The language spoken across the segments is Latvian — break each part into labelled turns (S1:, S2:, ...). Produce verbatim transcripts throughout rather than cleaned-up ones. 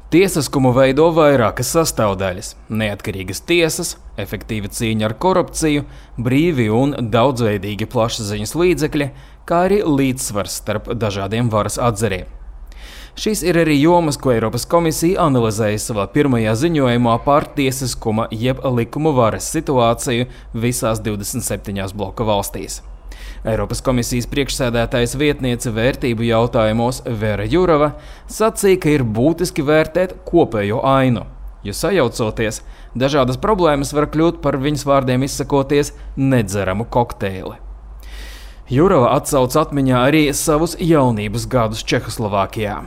S1: Tiesiskumu veido vairākas sastāvdaļas – neatkarīgas tiesas, efektīva cīņa ar korupciju, brīvi un daudzveidīgi plašsaziņas līdzekļi, kā arī līdzsvars starp dažādiem varas atzariem. Šīs ir arī jomas, ko Eiropas komisija analizēja savā pirmajā ziņojumā par tiesiskuma jeb likumu varas situāciju visās divdesmit septiņās bloka valstīs. Eiropas komisijas priekšsēdētājas vietniece vērtību jautājumos Vera Jurova sacīja, ka ir būtiski vērtēt kopējo ainu, jo sajaucoties, dažādas problēmas var kļūt par viņas vārdiem izsakoties nedzeramu kokteili. Jurova atsauc atmiņā arī savus jaunības gadus Čehoslovākijā.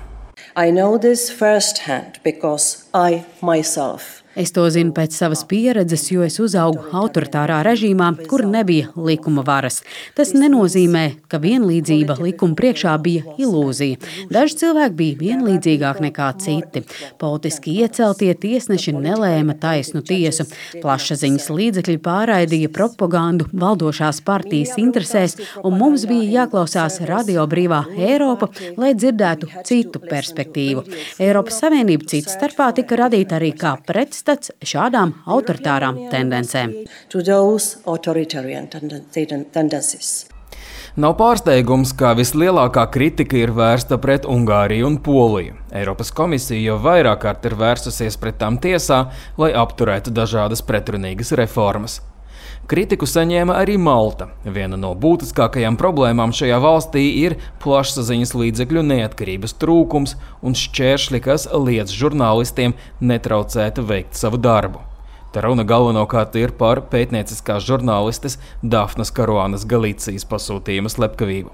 S2: I know this firsthand because I myself
S3: Es to zinu pēc savas pieredzes, jo es uzaugu autoritārā režīmā, kur nebija likuma varas. Tas nenozīmē, ka vienlīdzība likuma priekšā bija ilūzija. Daži cilvēki bija vienlīdzīgāki nekā citi. Politiski ieceltie tiesneši nelēma taisnu tiesu. Plašsaziņas līdzekļi pārraidīja propagandu valdošās partijas interesēs, un mums bija jāklausās Radio Brīvā Eiropa, lai dzirdētu citu perspektīvu. Eiropas Savienība cits starpā tika radīta arī kā pretstats šādām autoritārām tendencēm.
S1: Nav pārsteigums, ka vislielākā kritika ir vērsta pret Ungāriju un Poliju. Eiropas komisija jau vairāk kārt ir vērsusies pret tām tiesā, lai apturētu dažādas pretrunīgas reformas. Kritiku saņēma arī Malta. Viena no būtiskākajām problēmām šajā valstī ir plašsaziņas līdzekļu neatkarības trūkums un šķēršļi, kas liedz žurnālistiem netraucēt veikt savu darbu. Te runa galvenokārt ir par pētnieciskās žurnālistes Dafnas Karuanas Galicijas pasūtījuma slepkavību.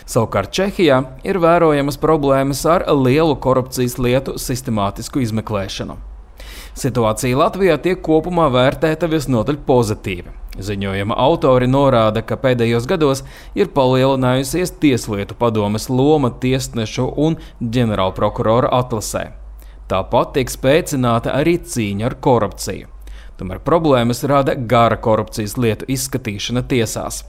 S1: Savukārt Čehijā ir vērojamas problēmas ar lielu korupcijas lietu sistemātisku izmeklēšanu. Situācija Latvijā tiek kopumā vērtēta visnotaļ pozitīvi. Ziņojuma autori norāda, ka pēdējos gados ir palielinājusies Tieslietu padomes loma tiesnešu un ģenerālprokurora atlasē. Tāpat tiek spēcināta arī cīņa ar korupciju. Tomēr problēmas rada gara korupcijas lietu izskatīšana tiesās.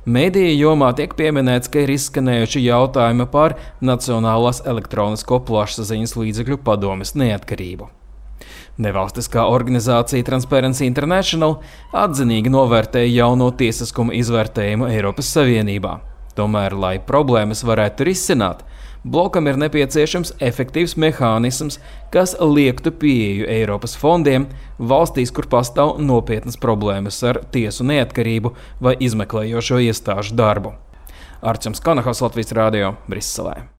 S1: Mēdīja jomā tiek pieminēts, ka ir izskanējuši jautājumi par Nacionālās elektronisko plašsaziņas līdzekļu padomes neatkarību. Nevalstiskā organizācija Transparency International atzinīgi novērtēja jauno tiesiskuma izvērtējumu Eiropas Savienībā. Tomēr, lai problēmas varētu risināt, blokam ir nepieciešams efektīvs mehānisms, kas liektu pieeju Eiropas fondiem valstīs, kur pastāv nopietnas problēmas ar tiesu neatkarību vai izmeklējošo iestāžu darbu. Arčuns Kanahaus, Latvijas radio, Briselē.